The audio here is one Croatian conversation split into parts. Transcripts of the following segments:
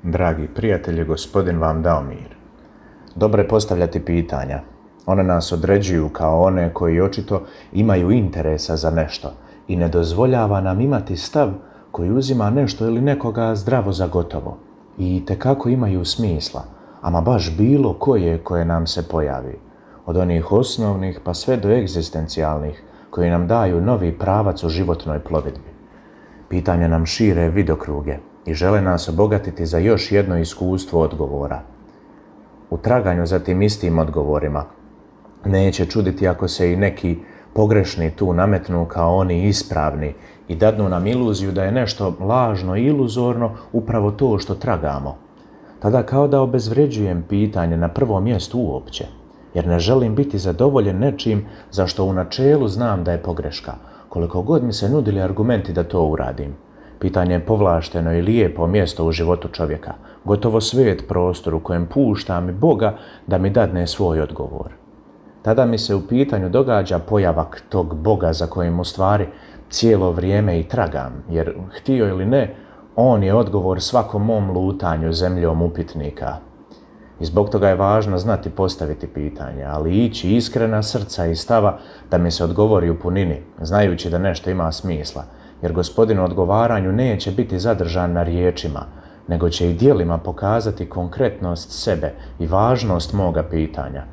Dragi prijatelji, Gospodin vam dao mir. Dobro je postavljati pitanja. One nas određuju kao one koji očito imaju interesa za nešto i ne dozvoljava nam imati stav koji uzima nešto ili nekoga zdravo za gotovo. I itekako imaju smisla, ama baš bilo koje nam se pojavi. Od onih osnovnih pa sve do egzistencijalnih koji nam daju novi pravac u životnoj plovidbi. Pitanja nam šire vidokruge i žele nas obogatiti za još jedno iskustvo odgovora. U traganju za tim istim odgovorima neće čuditi ako se i neki pogrešni tu nametnu kao oni ispravni i dadnu nam iluziju da je nešto lažno i iluzorno upravo to što tragamo. Tada kao da obezvređujem pitanje na prvom mjestu uopće, jer ne želim biti zadovoljen nečim za što u načelu znam da je pogreška, koliko god mi se nudili argumenti da to uradim. Pitanje je povlašteno i lijepo mjesto u životu čovjeka, gotovo svet prostor u kojem puštam i Boga da mi dadne svoj odgovor. Tada mi se u pitanju događa pojavak tog Boga za kojim u stvari cijelo vrijeme i tragam, jer htio ili ne, on je odgovor svakom mom lutanju zemljom upitnika. I zbog toga je važno znati postaviti pitanje, ali ići iskrena srca i stava da mi se odgovori u punini, znajući da nešto ima smisla, jer Gospodin u odgovaranju neće biti zadržan na riječima, nego će i djelima pokazati konkretnost sebe i važnost moga pitanja.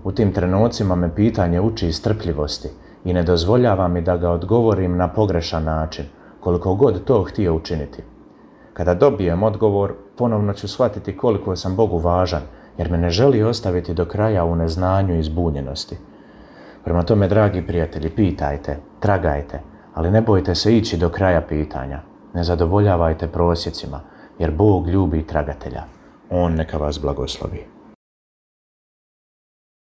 U tim trenucima me pitanje uči strpljivosti i ne dozvoljava mi da ga odgovorim na pogrešan način, koliko god to htio učiniti. Kada dobijem odgovor, ponovno ću shvatiti koliko sam Bogu važan, jer me ne želi ostaviti do kraja u neznanju i zbunjenosti. Prema tome, dragi prijatelji, pitajte, tragajte, ali ne bojte se ići do kraja pitanja. Ne zadovoljavajte prosjecima, jer Bog ljubi tragatelja. On neka vas blagoslovi.